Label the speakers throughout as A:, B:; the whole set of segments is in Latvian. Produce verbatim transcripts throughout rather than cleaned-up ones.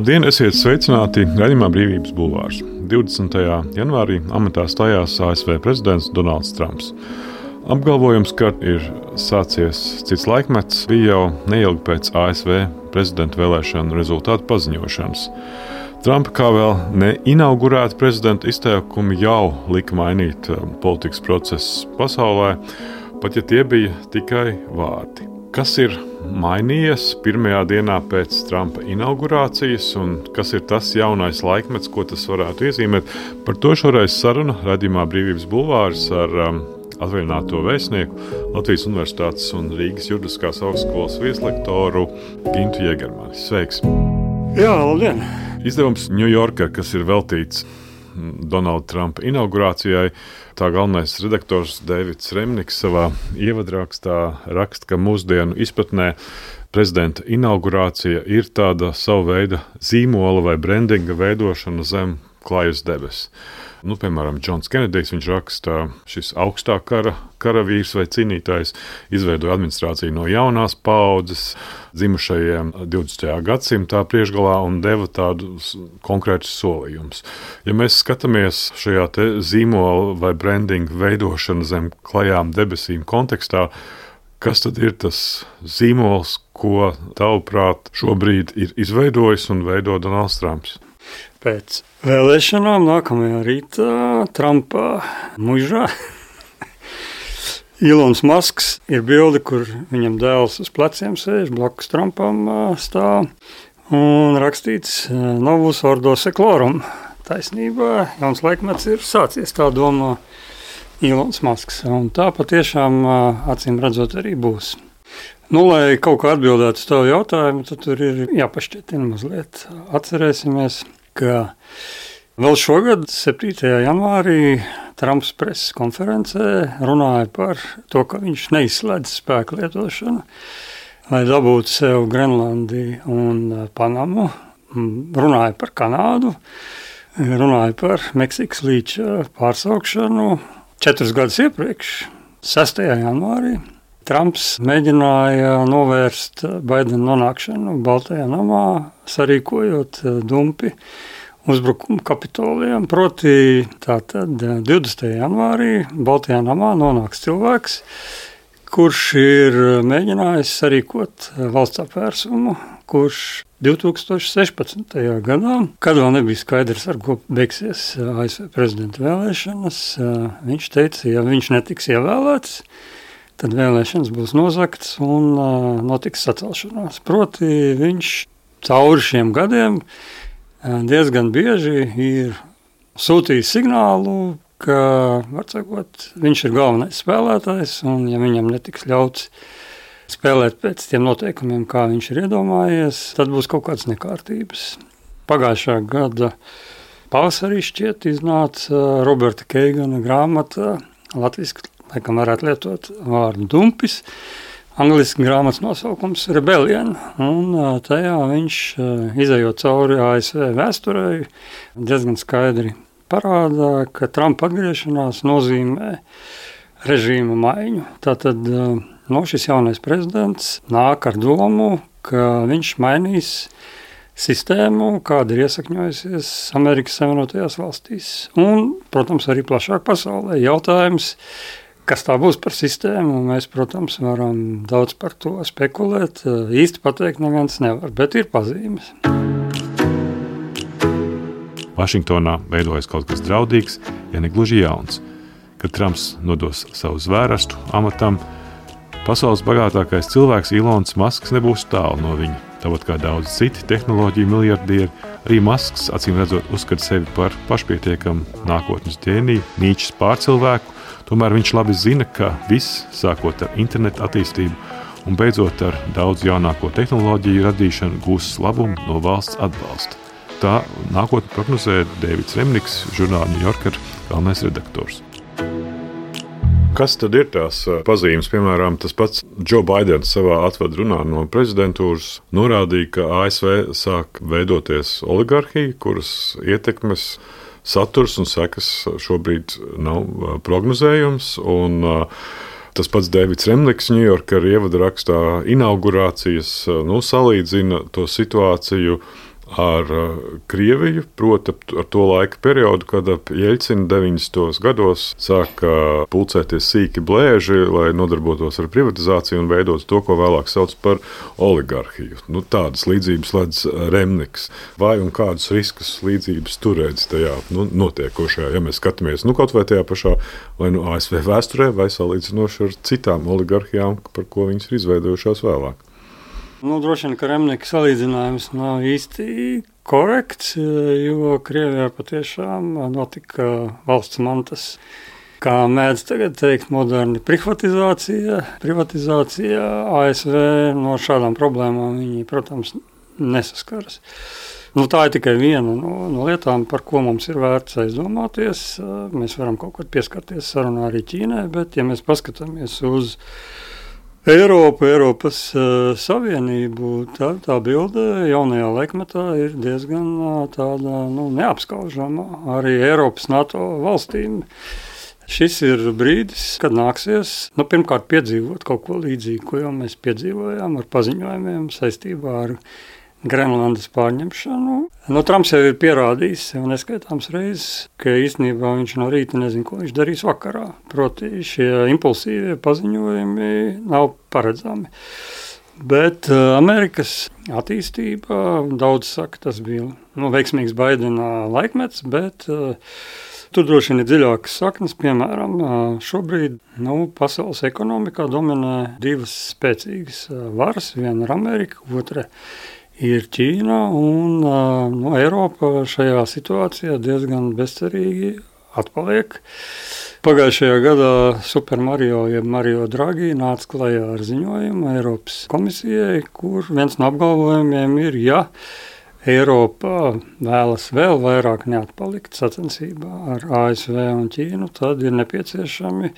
A: Labdien, esiet sveicināti raidījumā Brīvības bulvārs. divdesmitajā janvārī amatā stājās A S V prezidents Donalds Trumps. Apgalvojums, ka ir sācies cits laikmets, bija jau neilgi pēc A S V prezidenta vēlēšanu rezultātu paziņošanas. Trumpa kā vēl neinaugurēta prezidenta izteikumi jau lika mainīt politikas procesus pasaulē, pat ja tie bija tikai vārdi. Kas ir mainījies pirmajā dienā pēc Trumpa inaugurācijas un kas ir tas jaunais laikmets, ko tas varētu iezīmēt? Par to šoreiz saruna raidījumā Brīvības bulvārs ar um, atvaļināto vēstnieku Latvijas Universitātes un Rīgas Juridiskās augstskolas vieslektoru Gintu Jegermani. Sveiks!
B: Jā, labdien!
A: Izdevums New Yorker, kas ir veltīts Donalda Trumpa inaugurācijai, tā galvenais redaktors Deivids Remniks savā ievadrakstā raksta, ka mūsdienu izpratnē prezidenta inaugurācija ir tāda sava veida zīmola vai brandinga veidošana zem klājas debesis. Nu, piemēram, Džons Kenedijs, viņš raksta, šis augstā kara karavīrs vai cīnītājs izveidoja administrāciju no jaunās paaudzes dzimušajiem divdesmitajā gadsimtā priekšgalā un deva tādus konkrētus solījumus. Ja mēs skatāmies šajā te zīmola vai brandinga veidošana zem klajām debesīm kontekstā, kas tad ir tas zīmols, ko tavuprāt šobrīd ir izveidojis un veido Donalds Trumps?
B: Pēc vēlēšanām nākamajā rītā Trumpa mužā Ilons Masks ir bilde, kur viņam dēls uz pleciem sēž, blakus Trumpam stāv un rakstīts Novus ordo seclorum. Taisnībā jauns laikmets ir sācies, tā domā Ilons Masks, un tā patiešām acīm redzot arī būs. Nu, lai kaut kā atbildētu uz tavu jautājumu, tad tur ir jāpašķietina mazliet. Atcerēsimies, ka vēl šogad, septītajā janvārī, Trumps preses konferencē runāja par to, ka viņš neizslēdz spēku lietošanu, lai dabūtu sev Grenlandiju un Panamu, runāja par Kanādu, runāja par Meksikas līča pārsaukšanu četrus gadus iepriekš, sestajā janvārī. Trumps mēģināja novērst Baidena nonākšanu Baltajā namā, sarīkojot dumpi uzbrukumu Kapitolijam. Proti tātad divdesmitajā janvārī Baltajā namā nonāks cilvēks, kurš ir mēģinājis sarīkot valsts apvērsumu, kurš divtūkstoš sešpadsmitajā gadā, kad vēl nebija skaidrs, ar ko beigsies A S V prezidenta vēlēšanas, viņš teica, ja viņš netiks ievēlēts, tad vēlēšanas būs nozagtas un uh, notiks sacelšanās. Proti viņš cauri šiem gadiem uh, diezgan bieži ir sūtījis signālu, ka, var sakot, viņš ir galvenais spēlētājs un ja viņam netiks ļauts spēlēt pēc tiem noteikumiem, kā viņš ir iedomājies, tad būs kaut kādas nekārtības. Pagājušā gada pavasarī šķiet iznāca Roberta Keigana grāmata latviski, laikam varētu lietot vārdu dumpis, angliski grāmatas nosaukums Rebellion, un tajā viņš, izejot cauri A S V vēsturei, diezgan skaidri parāda, ka Trumpa atgriešanās nozīmē režīma maiņu. Tātad no šis jaunais prezidents nāk ar domu, ka viņš mainīs sistēmu, kāda ir iesakņojusies Amerikas Savienotajās valstīs. Un, protams, arī plašāk pasaulē jautājums, kas tā būs par sistēmu, mēs, protams, varam daudz par to spekulēt. Īsti pateikt neviens nevar, bet ir pazīmes.
A: Vašingtonā veidojas kaut kas draudīgs, ja ne gluži jauns. Kad Trumps nodos savu zvērestu amatam, pasaules bagātākais cilvēks Ilons Masks nebūs tālu no viņa. Tāpat kā daudz citi tehnoloģiju miljardieri, arī Masks, acīm redzot, uzskata sevi par pašpietiekamu nākotnes ģēniju, Nīčes pārcilvēku. Tomēr viņš labi zina, ka viss, sākot ar internetu attīstību un beidzot ar daudz jaunāko tehnoloģiju radīšanu, gūs labumu no valsts atbalsta. Tā nākotnē prognozē Deivids Remniks, žurnāla New Yorker galvenais redaktors. Kas tad ir tās pazīmes? Piemēram, tas pats Joe Bidens savā atvadrunā no prezidentūras norādīja, ka A S V sāk veidoties oligarhija, kuras ietekmes saturs un sekas šobrīd nav prognozējums. Un tas pats Deivids Remniks New Yorker ievada rakstā inaugurācijas nu, salīdzina to situāciju ar Krieviju, proti ar to laika periodu, kad ap Jeļcina deviņdesmitos gados sāka pulcēties sīki blēži, lai nodarbotos ar privatizāciju un veidot to, ko vēlāk sauc par oligarhiju. Nu, tādas līdzības ledz Remniks. Vai un kādus riskus līdzības tur redz tajā nu, notiekošajā, ja mēs skatāmies nu, kaut vai tajā pašā vai nu A S V vēsturē, vai salīdzinoši ar citām oligarhijām, par ko viņas ir izveidojušās vēlāk?
B: Nu, droši vien, ka Remnika salīdzinājums nav īsti korekts, jo Krievijā patiešām notika valsts mantas, kā mēdz tagad teikt, moderni privatizācija. Privatizācija A S V no šādām problēmām viņi, protams, nesaskaras. Nu, tā ir tikai viena no, no lietām, par ko mums ir vērts aizdomāties. Mēs varam kaut kad pieskarties sarunā arī Ķīnai, bet ja mēs paskatāmies uz Eiropu, Eiropas uh, Savienību, tā, tā bilde jaunajā laikmetā ir diezgan uh, tāda nu, neapskaužama arī Eiropas NATO valstīm. Šis ir brīdis, kad nāksies nu, pirmkārt piedzīvot kaut ko līdzīgu, ko jau mēs piedzīvojām ar paziņojumiem saistībā ar Grenlandes pārņemšanu. Nu, Trumps jau ir pierādījis sev neskaitāms reizes, ka īstenībā viņš no rīta nezina, ko viņš darīs vakarā. Proti šie impulsīvie paziņojumi nav paredzami. Bet uh, Amerikas attīstība, daudz saka, tas bija nu, veiksmīgs Baidena laikmets, bet uh, tur droši vien ir dziļākas saknes. Piemēram, uh, šobrīd nu, pasaules ekonomikā dominē divas spēcīgas uh, varas. Viena ir Amerika, otra ir Ķīna, un nu, Eiropa šajā situācijā diezgan bezcerīgi atpaliek. Pagājušajā gadā Super Mario, jeb Mario Draghi, nāca klajā ar ziņojumu Eiropas komisijai, kur viens no apgalvojumiem ir, ja Eiropa vēlas vēl vairāk neatpalikt sacensībā ar A S V un Ķīnu, tad ir nepieciešami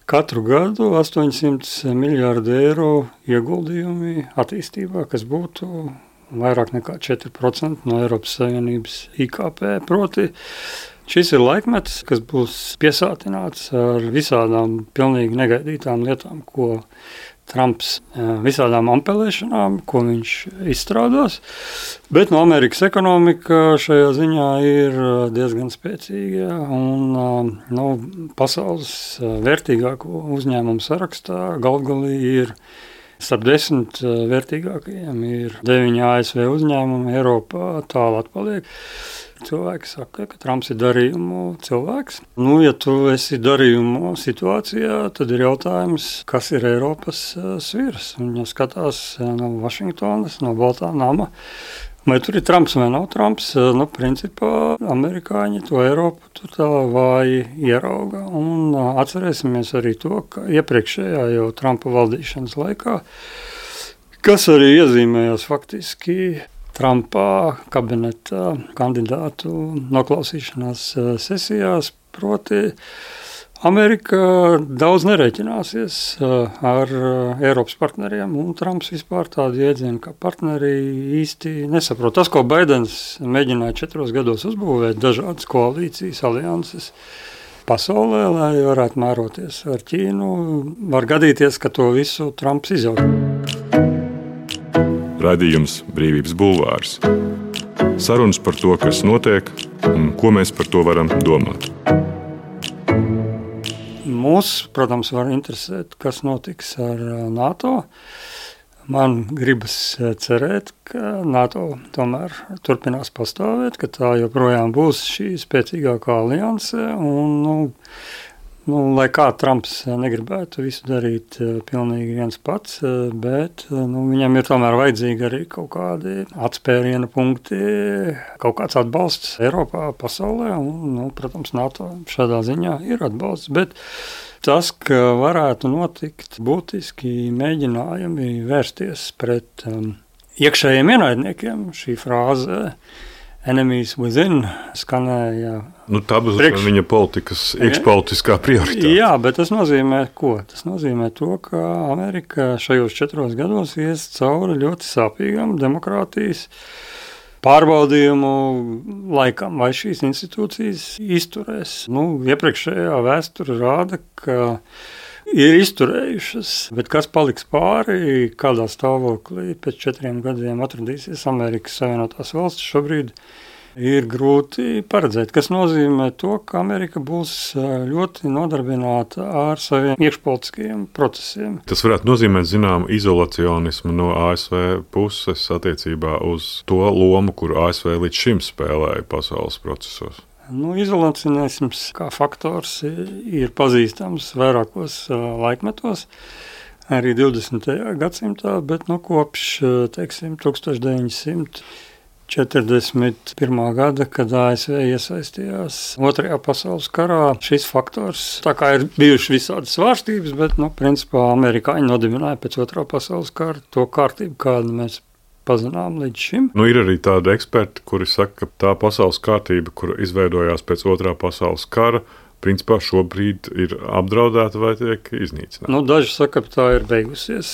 B: katru gadu astoņsimt miljārdi eiro ieguldījumi attīstībā, kas būtu vairāk nekā četri procenti no Eiropas Savienības I K P. Proti, šis ir laikmets, kas būs piesātināts ar visādām pilnīgi negaidītām lietām, ko Trumps visādām ampelēšanām, ko viņš izstrādās. Bet no Amerikas ekonomika šajā ziņā ir diezgan spēcīga un nu, pasaules vērtīgāko uzņēmumu sarakstā galvgalī ir starp desmit vērtīgākajiem ir deviņi A S V uzņēmumi, Eiropā tālu atpaliek. Cilvēki saka, ka Trumps ir darījumu cilvēks. Nu, ja tu esi darījumu situācijā, tad ir jautājums, kas ir Eiropas sviras. Viņa skatās no Vašingtonas, no Baltā nama. Vai tur ir Trumps vai nav Trumps? Nu, principā amerikāņi to Eiropu tur tā vāji ierauga. Un atcerēsimies arī to, ka iepriekšējā jau Trumpa valdīšanas laikā, kas arī iezīmējās faktiski Trumpa kabineta kandidātu noklausīšanās sesijās, proti Amerika daudz nerēķināsies ar Eiropas partneriem, un Trumps vispār tādu jēdzienu kā partneri īsti nesaprot. Tas, ko Baidens mēģināja četros gados uzbūvēt, dažādas koalīcijas, alianses pasaulē, lai varētu mēroties ar Ķīnu, var gadīties, ka to visu Trumps izjauc.
C: Raidījums Brīvības bulvārs. Sarunas par to, kas notiek un ko mēs par to varam domāt.
B: Mūs, protams, var interesēt, kas notiks ar NATO. Man gribas cerēt, ka NATO tomēr turpinās pastāvēt, ka tā joprojām būs šī spēcīgākā alianse. Un, nu, nu, lai kā Trumps negribētu visu darīt pilnīgi viens pats, bet nu, viņam ir tomēr vajadzīgi arī kaut kādi atspēriena punkti, kaut kāds atbalsts Eiropā, pasaulē. Un, nu, protams, NATO šādā ziņā ir atbalsts, bet tas, ka varētu notikt būtiski mēģinājumi vērsties pret um, iekšējiem ienaidniekiem, šī frāze enemies within skanēja.
A: Nu, tā būs
B: priekš...
A: viņa politikas, iekšpolitiskā prioritāte.
B: Jā, bet tas nozīmē ko? Tas nozīmē to, ka Amerika šajos četros gados ies cauri ļoti sāpīgam demokrātijas pārbaudījumu laikam, vai šīs institūcijas izturēs. Nu, iepriekšējā vēsture rāda, ka ir izturējušas, bet kas paliks pāri, kādā stāvoklī pēc četriem gadiem atradīsies Amerikas Savienotās valstis šobrīd, ir grūti paredzēt, kas nozīmē to, ka Amerika būs ļoti nodarbināta ar saviem iekšpolitiskajiem procesiem.
A: Tas varētu nozīmēt zināmu izolacionismu no A S V puses attiecībā uz to lomu, kuru A S V līdz šim spēlēja pasaules procesos.
B: Nu, izolacionisms kā faktors ir pazīstams vairākos laikmetos, arī divdesmitajā gadsimtā, bet nu, kopš teiksim, tūkstoš deviņsimt četrdesmit pirmā gada, kad A S V iesaistījās Otrajā pasaules karā, šis faktors, tā kā ir bijušas visādas svārstības, bet, nu, principā amerikāņi nodibināja pēc Otrā pasaules kara to kārtību, kādu mēs pazinām līdz šim.
A: Nu, ir arī tādi eksperti, kuri saka, ka tā pasaules kārtība, kur izveidojās pēc Otrā pasaules kara, principā šobrīd ir apdraudēta vai tiek iznīcināta.
B: Nu, daži saka, ka tā ir beigusies.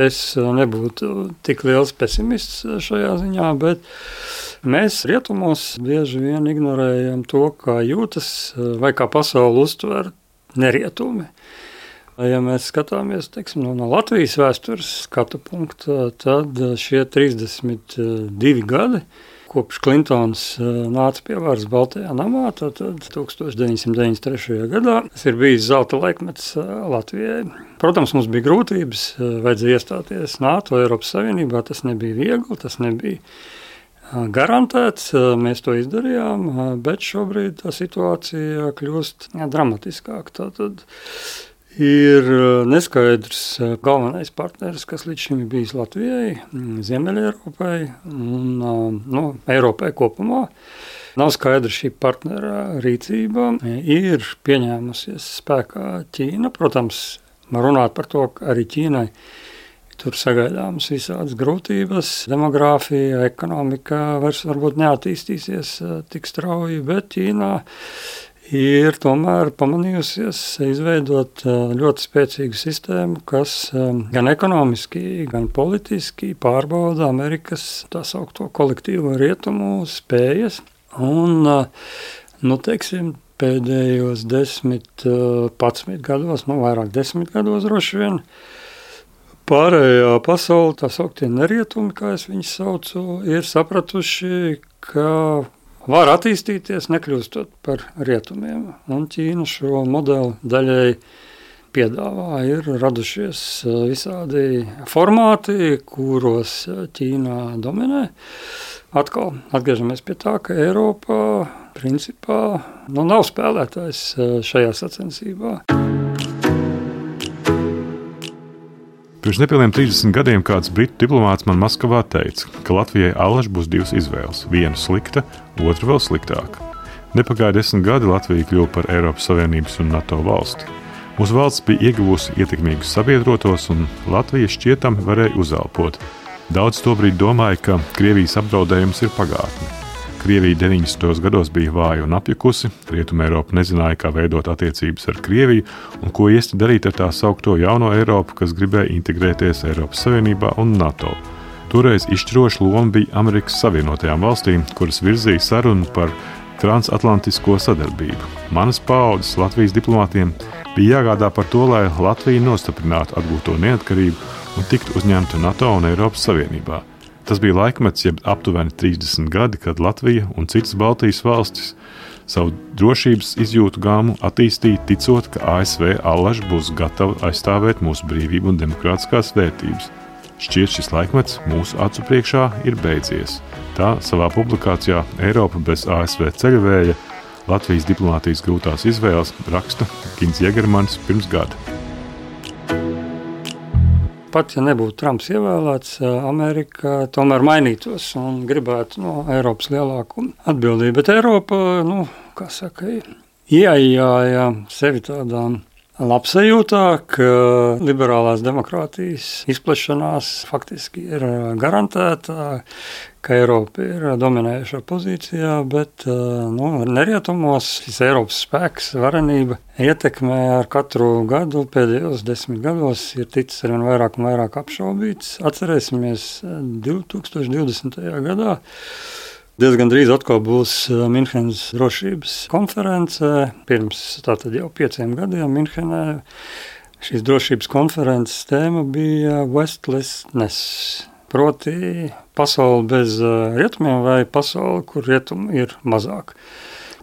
B: Es nebūtu tik liels pesimists šajā ziņā, bet mēs rietumos bieži vien ignorējam to, kā jūtas vai kā pasauli uztver nerietumi. Ja mēs skatāmies teiksim, no Latvijas vēstures skatu punkta, tad šie trīsdesmit divi gadi, kopš Klintons nāca pie varas Baltajā namā, tad tūkstoš deviņsimt deviņdesmit trešajā gadā tas ir bijis zelta laikmets Latvijai. Protams, mums bija grūtības, vajadzēja iestāties NATO, Eiropas Savienībā, tas nebija viegli, tas nebija garantēts, mēs to izdarījām, bet šobrīd tā situācija kļūst dramatiskāka. Tātad ir neskaidrs galvenais partneris, kas līdz šim ir bijis Latvijai, Ziemeļeiropai un nu, Eiropai kopumā. Nav skaidra šī partnera rīcība. Ir pieņēmusies spēkā Ķīna. Protams, var runāt par to, ka arī Ķīnai tur sagaidāmas visādas grūtības. Demogrāfija, ekonomika vairs varbūt neattīstīsies tik strauji, bet Ķīnā ir tomēr pamanījusies izveidot ļoti spēcīgu sistēmu, kas gan ekonomiski, gan politiski pārbauda Amerikas tā saukto kolektīvo rietumu spējas. Un, nu, teiksim, pēdējos desmit, padsmit gados, nu, vairāk desmit gados droši vien, pārējā pasaule, tā sauktie nerietumi, kā es viņus saucu, ir sapratuši, ka var attīstīties, nekļūstot par rietumiem. Un Ķīna šo modeli daļai piedāvā. Ir radušies visādi formāti, kuros Ķīna dominē. Atkal atgriežamies pie tā, ka Eiropa principā nu, nav spēlētājs šajā sacensībā.
A: Pirms nepilniem trīsdesmit gadiem kāds britu diplomāts man Maskavā teica, ka Latvijai allaž būs divas izvēles – viena slikta, otra vēl sliktāka. Nepagāja desmit gadi, Latvija kļuva par Eiropas Savienības un NATO valsti. Mūsu valsts bija ieguvusi ietekmīgus sabiedrotos, un Latvija šķietami varēja uzelpot. Daudz tobrīd domāja, ka Krievijas apdraudējums ir pagātne. Krievija deviņdesmitajos gados bija vāja un apjukusi, Rietuma Eiropa nezināja, kā veidot attiecības ar Krieviju un ko iesti darīt ar tā saukto jauno Eiropu, kas gribēja integrēties Eiropas Savienībā un NATO. Toreiz izšķiroša loma bija Amerikas Savienotajām valstīm, kuras virzīja sarunu par transatlantisko sadarbību. Manas paaudzes Latvijas diplomātiem bija jāgādā par to, lai Latvija nostiprinātu atgūto neatkarību un tiktu uzņemta NATO un Eiropas Savienībā. Tas bija laikmets, jeb aptuveni trīsdesmit gadi, kad Latvija un citas Baltijas valstis savu drošības izjūtu gāmu attīstīja, ticot, ka A S V allaž būs gatava aizstāvēt mūsu brīvību un demokrātiskās vērtības. Šķiet, šis laikmets mūsu acu priekšā ir beidzies. Tā savā publikācijā Eiropa bez A S V ceļavēja Latvijas diplomātijas grūtās izvēles raksta Gins Jegermanis pirms gada.
B: Pat, ja nebūtu Trumps ievēlēts, Amerika tomēr mainītos un gribētu no Eiropas lielāku atbildību. Bet Eiropa, nu, kā saka, ieaijāja sevi tādām labsajūtā, ka liberālās demokrātijas izplešanās faktiski ir garantēta, ka Eiropa ir dominējušā pozīcijā, bet nu, nerietumos šis Eiropas spēks, varenība, ietekmē ar katru gadu, pēdējos desmit gados ir ticis arvien vairāk un vairāk apšaubīts. Atcerēsimies divi tūkstoši divdesmitajā gadā. Diezgan drīz atkal būs Minhenes drošības konference. Pirms tātad jau pieciem gadiem Minhenē šīs drošības konferences tēma bija Westlessness, proti pasauli bez rietumiem vai pasauli, kur rietumi ir mazāk.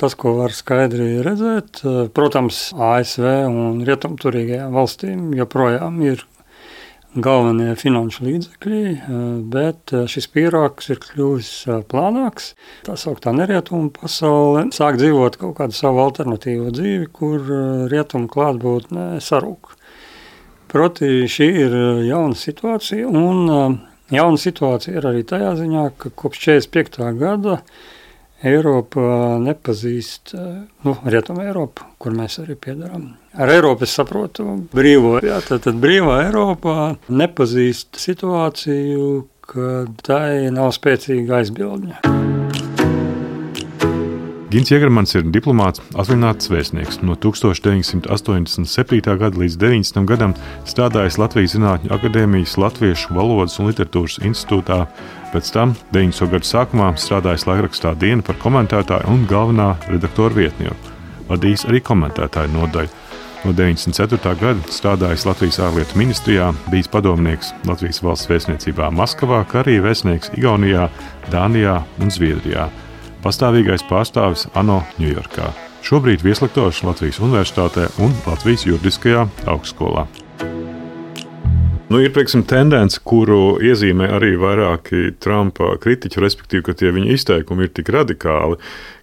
B: Tas, ko var skaidri redzēt, protams, A S V un rietumturīgajām valstīm joprojām ir galvenie finanšu līdzekļi, bet šis pīrāgs ir kļuvis plānāks. Tā sauktā nerietumu pasaule sāk dzīvot kaut kādu savu alternatīvu dzīvi, kur rietumu klātbūtne sarūk. Proti šī ir jauna situācija, un jauna situācija ir arī tajā ziņā, ka kopš četrdesmit piektā gada Eiropa nepazīst, nu, Rietuma Eiropa, kur mēs arī piedarām. Ar Eiropu es saprotu brīvo, jā, tad, tad brīvā Eiropā nepazīst situāciju, kad tai nav spēcīga aizbildņa.
A: Gins Jegermans ir diplomāts, atvaļināts vēstnieks. No tūkstoš deviņsimt astoņdesmit septītā gada līdz deviņdesmitajam gadam strādājis Latvijas Zinātņu akadēmijas Latviešu valodas un literatūras institūtā. Pēc tam deviņdesmito gadu sākumā strādājis laikrakstā Diena par komentētāju un galvenā redaktora vietnieku. Vadījis arī komentētāju nodaļu. No deviņdesmit ceturtā gada strādājis Latvijas ārlietu ministrijā, bijis padomnieks Latvijas valsts vēstniecībā Maskavā, kā arī vēstnieks Igaunijā, Dānijā un Zviedrijā. Pastāvīgais pārstāvis ANO Ņujorkā. Šobrīd vieslektors Latvijas Universitātē un Latvijas Juridiskajā augstskolā. Nu, ir, piemēram, tendence, kuru iezīmē arī vairāki Trumpa kritiķi, respektīvi, ka tie viņa izteikumi ir tik radikāli,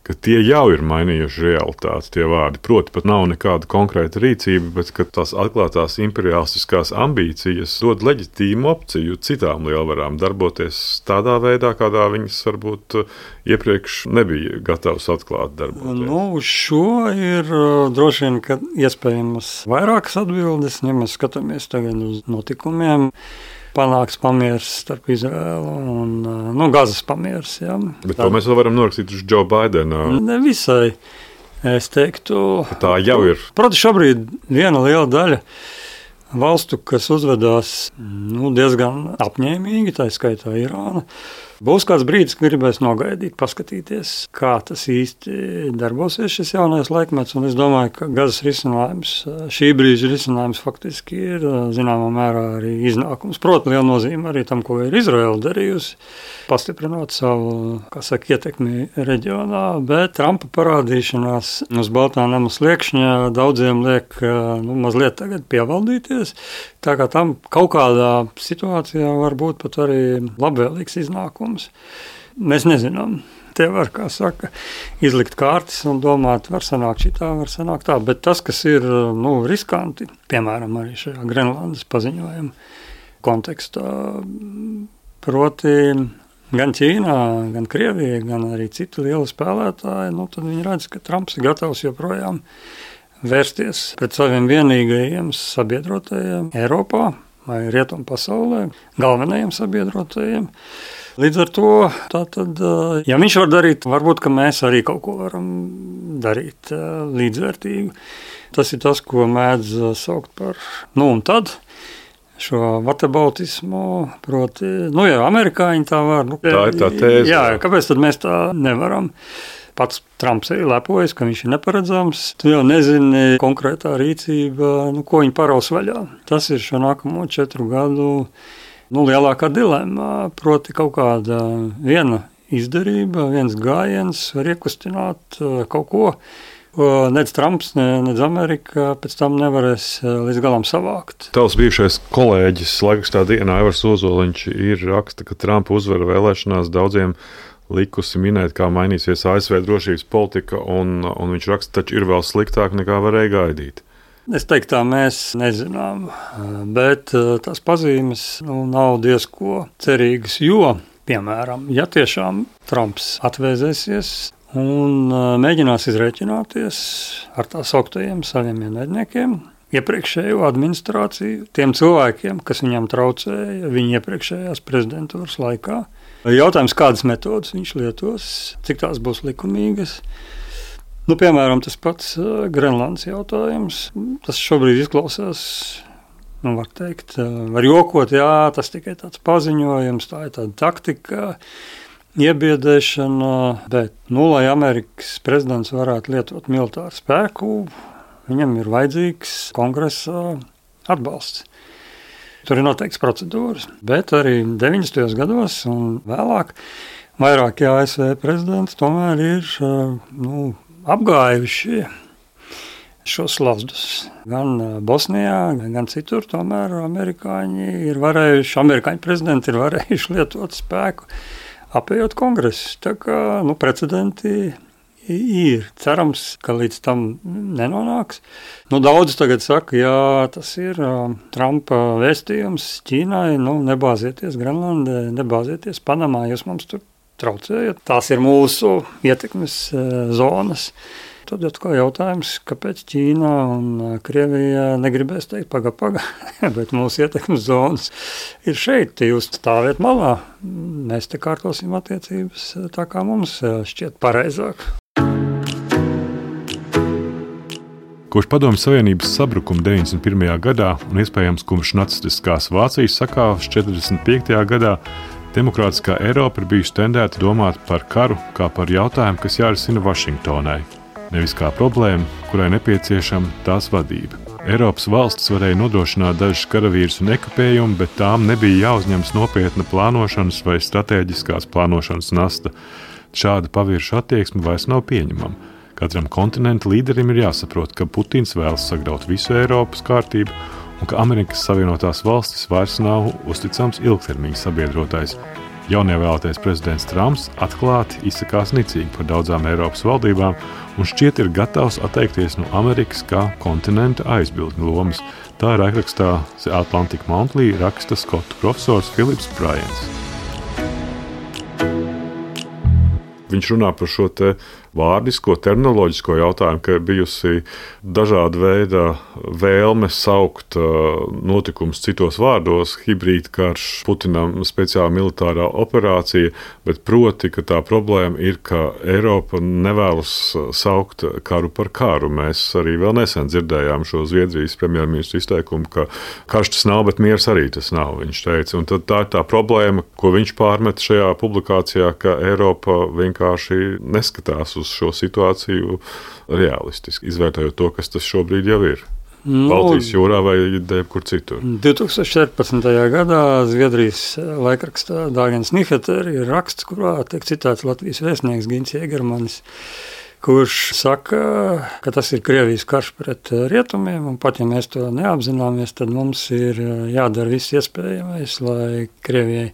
A: ka tie jau ir mainījuši realitāti, tie vārdi. Proti, pat nav nekāda konkrēta rīcība, bet ka tās atklātās imperialistiskās ambīcijas dod leģitīmu opciju citām lielvarām darboties tādā veidā, kādā viņas varbūt iepriekš nebija gatavas atklāt darboties.
B: Nu, uz šo ir droši vien, ka iespējams vairākas atbildes, ja mēs skatāmies tagad uz notikumiem. Panāks pamieris starp Izraēlu un nu, Gazas pamieris. Ja.
A: Bet to mēs vēl varam norakstīt uz Joe Bidenu.
B: Ne visai, es teiktu.
A: Tā jau ir.
B: Protams, šobrīd viena liela daļa valstu, kas uzvedās nu, diezgan apņēmīgi, tā skaitā Irāna. Būs kāds brīdis, kad gribēs nogaidīt, paskatīties, kā tas īsti darbosies šis jaunais laikmets. Un es domāju, ka Gazas risinājums, šī brīža risinājums faktiski ir zināmā mērā arī iznākums. Protams, liela nozīme arī tam, ko ir Izraela darījusi, pastiprinot savu, kā saka, ietekmi reģionā, bet Trumpa parādīšanās uz Baltā nama sliekšņa daudziem liek nu, mazliet tagad pievaldīties. Tā kā tam kaut kādā situācijā var būt pat arī labvēlīgs iznākums. Mēs nezinām. Te var, kā saka, izlikt kārtas un domāt, var sanākt šitā, var sanākt tā. Bet tas, kas ir nu, riskanti, piemēram, arī šajā Grenlandes paziņojuma kontekstā, proti gan Ķīnā, gan Krievija, gan arī citi lieli spēlētāji, nu, tad viņi redz, ka Trumps ir gatavs joprojām vērsties pret saviem vienīgajiem sabiedrotajiem Eiropā vai Rietumu pasaulē, galvenajiem sabiedrotajiem. Līdz ar to, tātad, ja viņš var darīt, varbūt, ka mēs arī kaut ko varam darīt līdzvērtīgu. Tas ir tas, ko mēdz saukt par nu un tad, šo vatabautismu, proti, nu jā, amerikāņi tā var. Nu,
A: tā ir tā tēze.
B: Jā, kāpēc tad mēs tā nevaram? Pats Trumps ir lepojas, ka viņš ir neparedzams. Tu jau nezini konkrētā rīcība, nu, ko viņi paraus vaļā. Tas ir šo nākamo četru gadu nu, lielākā dilemma. Proti kaut kāda viena izdarība, viens gājiens var iekustināt kaut ko, ko nec Trumps, ne, nec Amerika pēc tam nevarēs līdz galam savākt.
A: Tavs bijušais kolēģis laikrakstā Dienā Aivars Ozoliņš ir raksta, ka Trumpa uzvara vēlēšanās daudziem likusi minēt, kā mainīsies A S V drošības politika, un, un viņš raksta, taču ir vēl sliktāk nekā varēja gaidīt.
B: Es teiktu, tā mēs nezinām, bet tās pazīmes nu, nav diezko cerīgas, jo, piemēram, ja tiešām Trumps atvēzēsies un mēģinās izrēķināties ar tā sauktajiem saviem ienaidniekiem, iepriekšējo administrāciju, tiem cilvēkiem, kas viņam traucēja viņa iepriekšējās prezidentūras laikā. Jautājums, kādas metodas viņš lietos, cik tās būs likumīgas. Nu, piemēram, tas pats Grenlandes jautājums. Tas šobrīd izklausās, nu, var teikt, var jokot, jā, tas tikai tāds paziņojums, tā ir tāda taktika, iebiedēšana, bet, nu, lai Amerikas prezidents varētu lietot militāru spēku, viņam ir vajadzīgs kongresā atbalsts. Tur ir noteikts procedūras, bet arī deviņdesmitajos gados un vēlāk vairāki A S V prezidenti tomēr ir nu, apgājuši šos slazdus. Gan Bosnijā, gan citur tomēr amerikāņi ir varējuši, amerikāņu prezidenti ir varējuši lietot spēku, apējot kongresu. Tā kā nu, precedenti ir. Cerams, ka līdz tam nenonāks. Nu, daudz tagad saka, jā, tas ir uh, Trumpa vēstījums Ķīnai, nu, nebāzieties Grenlandē, nebāzieties Panamā, jūs mums tur traucējat. Tās ir mūsu ietekmes uh, zonas. Tad atkal jautājums, kāpēc Ķīna un Krievija negribēs teikt paga, paga, bet mūsu ietekmes zonas ir šeit, jūs stāviet malā. Mēs te kārtosim attiecības tā, kā mums šķiet pareizāk.
A: Kopš Padomju Savienības sabrukuma deviņdesmit pirmajā gadā un iespējams kopš nacistiskās Vācijas sakāves četrdesmit piektajā gadā demokrātiskā Eiropa ir bijusi tendēta domāt par karu kā par jautājumu, kas jārisina Vašingtonai, nevis kā problēmu, kurai nepieciešama tās vadība. Eiropas valstis varēja nodrošināt dažus karavīrus un ekipējumu, bet tām nebija jāuzņemas nopietna plānošanas vai stratēģiskās plānošanas nasta. Šāda pavirša attieksme vairs nav pieņemama. Katram kontinentu līderim ir jāsaprot, ka Putins vēlas sagraut visu Eiropas kārtību un ka Amerikas Savienotās valstis vairs nav uzticams ilgtermiņa sabiedrotais. Jaunievēlētais prezidents Trumps atklāti izsakās nicīgi par daudzām Eiropas valdībām un šķiet ir gatavs atteikties no Amerikas kā kontinenta aizbildņu lomas. Tā raidrakstā The Atlantic Monthly raksta skotu profesors Philips Bryans.
C: Viņš runā par šo te vārdisko, terminoloģisko jautājumu, ka ir bijusi dažāda veida vēlme saukt notikumus citos vārdos, hibrīda karš, Putinam speciāla militārā operācija, bet proti, ka tā problēma ir, ka Eiropa nevēlas saukt karu par karu. Mēs arī vēl nesen dzirdējām šo Zviedrijas premjerministru izteikumu, ka karš tas nav, bet miers arī tas nav, viņš teica. Un tad tā ir tā problēma, ko viņš pārmet šajā publikācijā, ka Eiropa vienkārši neskatās uz šo situāciju realistiski, izvērtējot to, kas tas šobrīd jau ir. Nu, Baltijas jūrā vai jebkur citur.
B: divi tūkstoši četrpadsmitajā gadā Zviedrijas laikrakstā Dagens Nyheter ir raksts, kurā tiek citāts Latvijas vēstnieks Gins Jēgermanis, kurš saka, ka tas ir Krievijas karš pret rietumiem, un pat ja mēs to neapzināmies, tad mums ir jādara viss iespējamais, lai Krievijai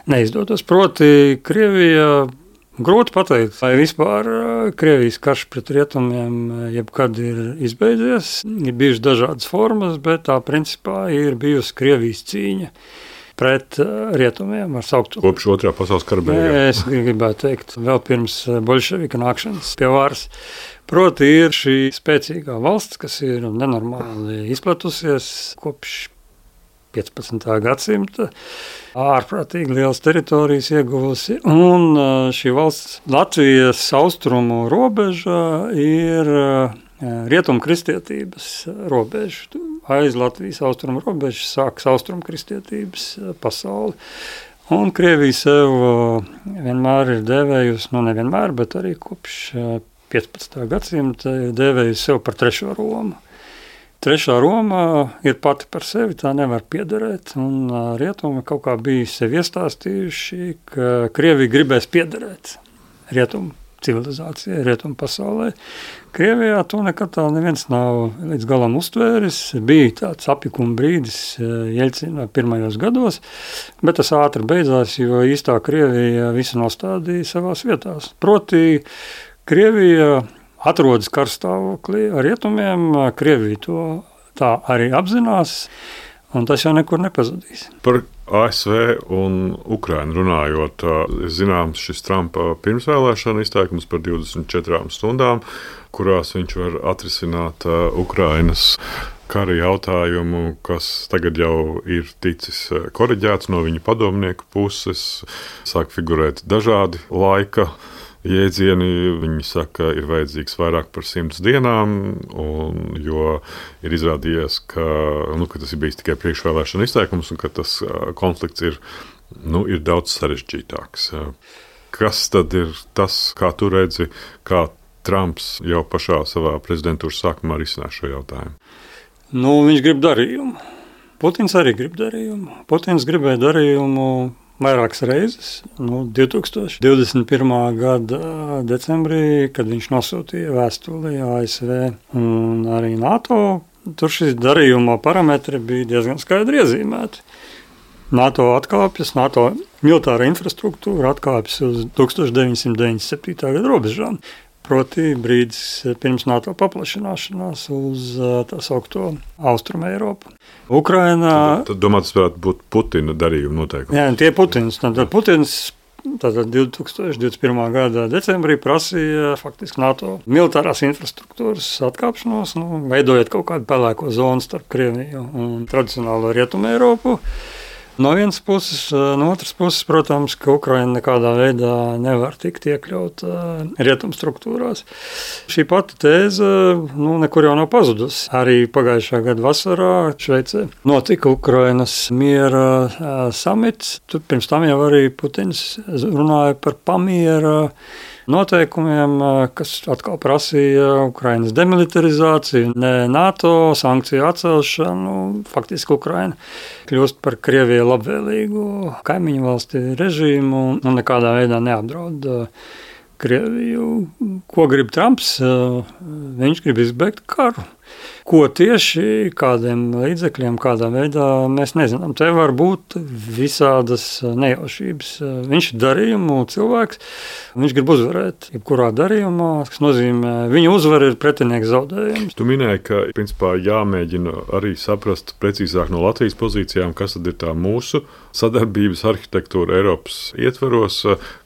B: neizdotos. Proti, Krievija grūti pateikt, vai vispār Krievijas karš pret rietumiem jebkad ir izbeidzies. Ir bijušas dažādas formas, bet tā principā ir bijusi Krievijas cīņa pret rietumiem.
C: Kopš otrā pasaules kara beigām.
B: Es gribētu teikt, vēl pirms bolševika nākšanas pie varas. Proti ir šī spēcīgā valsts, kas ir nenormāli izplatusies kopš piecpadsmitā gadsimta, ārprātīgi lielas teritorijas ieguvusi, un šī valsts Latvijas austrumu robeža ir rietumu kristietības robeža. Aiz Latvijas austrumu robežas sākas austrumu kristietības pasauli. Un Krievija sev vienmēr ir dēvējusi, nu nevienmēr, bet arī kopš piecpadsmitā gadsimta ir dēvējusi sev par trešo Romu. Trešā Roma ir pati par sevi, tā nevar piederēt, un rietumi kaut kā bija sevi iestāstījuši, ka Krievija gribēs piederēt rietumu civilizācijai, rietumu pasaulē. Krievijā to nekad tā neviens nav līdz galam uztvēris. Bija tāds apjukuma brīdis Jeļcina pirmajos gados, bet tas ātri beidzās, jo īstā Krievija visu nostādīja savās vietās. Proti, Krievija atrodas karstāvoklī ar rietumiem, Krievija to tā arī apzinās, un tas jau nekur nepazudīs.
C: Par A S V un Ukrainu runājot, zināms šis Trumpa pirmsvēlēšana izteikums par divdesmit četrām stundām, kurās viņš var atrisināt Ukrainas kara jautājumu, kas tagad jau ir ticis koriģēts no viņa padomnieku puses, sāk figurēt dažādi laika jēdzieni. Viņi saka, ir vajadzīgs vairāk par simts dienām, un, jo ir izrādījies, ka, nu, ka tas ir bijis tikai priekšvēlēšana izteikums un ka tas konflikts ir, nu, ir daudz sarežģītāks. Kas tad ir tas, kā tu redzi, kā Trumps jau pašā savā prezidentūras sākumā risinās šo jautājumu?
B: Nu, viņš grib darījumu. Putins arī grib darījumu. Putins gribēja darījumu vairākas reizes. Nu, divi tūkstoši divdesmit pirmā gada decembrī, kad viņš nosūtīja vēstuli A S V un arī NATO, tur šis darījuma parametri bija diezgan skaidri iezīmēti. NATO atkāpjas, NATO militāra infrastruktūra atkāpjas uz deviņdesmit deviņdesmit septītā gada robežām. Proti brīdis pirms NATO paplašināšanās uz tā saukto Austrumu Eiropu. Ukrainā...
C: Tad, tad domāt, tas varētu būt Putina darījuma noteikumi.
B: Jā, tie Putins. Tad Putins tātad divi tūkstoši divdesmit pirmā gada decembrī prasīja faktiski NATO militārās infrastruktūras atkāpšanos, nu, veidojot kaut kādu pelēko zonu starp Krieviju un tradicionālo Rietumu Eiropu. No vienas puses, no otras puses, protams, ka Ukraina nekādā veidā nevar tikt iekļaut rietumu struktūrās. Šī pati tēze nu, nekur jau nav pazudusi. Arī pagājušā gada vasarā Šveicē notika Ukrainas miera samits. Tur pirms tam jau arī Putins runāja par pamiera noteikumiem, kas atkal prasīja Ukrainas demilitarizāciju, ne NATO sankciju atcelšanu. Faktiski Ukraina kļūst par Krievijai labvēlīgu kaimiņu valsti režīmu un nekādā veidā neapdraud Krieviju. Ko grib Trumps? Viņš grib izbeigt karu. Ko tieši, kādiem līdzekļiem, kādā veidā, mēs nezinām. Te var būt visādas nejaušības. Viņš ir darījumu cilvēks, viņš grib uzvarēt jebkurā darījumā, kas nozīmē, viņa uzvara ir pretinieka zaudējums.
C: Tu minēji, ka principā jāmēģina arī saprast precīzāk no Latvijas pozīcijām, kas tad ir tā mūsu sadarbības arhitektūra Eiropas ietveros,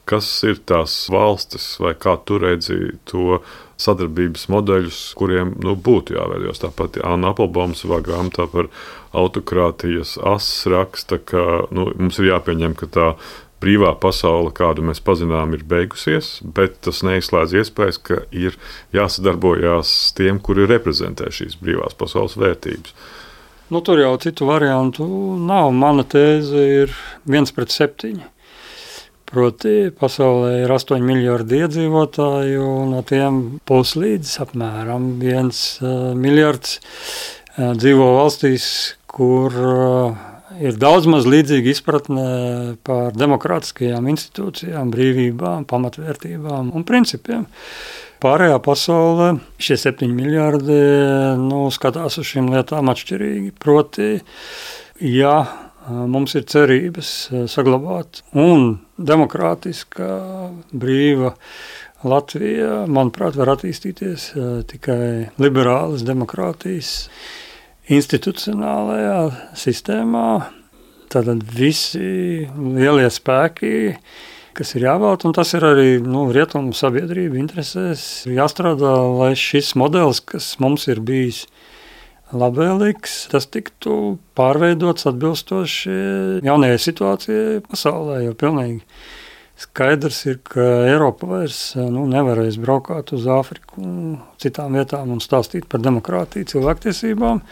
C: kas ir tās valstis vai kā tu redzi to sadarbības modeļus, kuriem nu, būtu jāveidojas. Tāpat Anna Applebaum savā grāmatā par autokrātijas asis raksta, ka nu, mums ir jāpieņem, ka tā brīvā pasaule, kādu mēs pazinām, ir beigusies, bet tas neizslēdz iespējas, ka ir jāsadarbojās tiem, kuri reprezentē šīs brīvās pasaules vērtības.
B: Nu, tur jau citu variantu nav. Mana tēze ir viens pret septiņi. Proti, pasaulē ir astoņi miljardi iedzīvotāju, un no tiem puslīdz apmēram viens uh, miljards uh, dzīvo valstīs, kur uh, ir daudz maz līdzīga izpratne par demokrātiskajām institūcijām, brīvībām, pamatvērtībām un principiem. Pārējā pasaulē šie septiņi miljardi nu, skatās uz šīm lietām atšķirīgi. Proti, ja mums ir cerības saglabāt un demokrātiska, brīva Latvija, manuprāt, var attīstīties tikai liberālas demokrātijas institucionālajā sistēmā. Tātad visi lielie spēki, kas ir jāvēlta, un tas ir arī nu, rietumu sabiedrību interesēs, jāstrādā, lai šis modelis, kas mums ir bijis labvēlīgs, tas tiktu pārveidots atbilstoši jaunajai situācijai pasaulē, jo pilnīgi skaidrs ir, ka Eiropa vairs nu, nevarēs braukāt uz Āfriku un citām vietām un stāstīt par demokrātiju, cilvēktiesībām.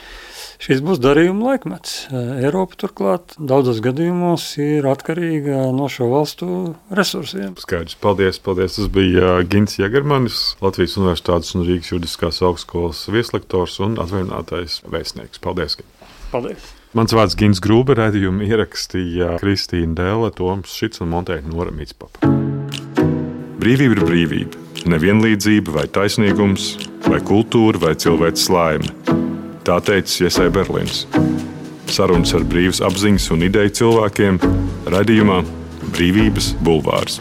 B: Šis būs darījuma laikmets. Eiropa turklāt daudzos gadījumos ir atkarīga no šo valstu resursiem.
C: Skaidrs, paldies, paldies. Tas bija Gints Jegermanis, Latvijas Universitātes un Rīgas Juridiskās augstskolas vieslektors un atvaļinātais vēstnieks. Paldies, Gint.
B: Paldies.
C: Mans vārds Gints Grūbe, raidījumu ierakstīja Kristīna Dēle, Toms Šits un Montē Nora Mitspapa. Brīvība ir brīvība. Nevienlīdzība vai taisnīgums, vai kultūra vai cilvēks laime. Tā teica Iesai Berlīns. Sarunas ar brīvas apziņas un ideju cilvēkiem raidījumā Brīvības bulvārs.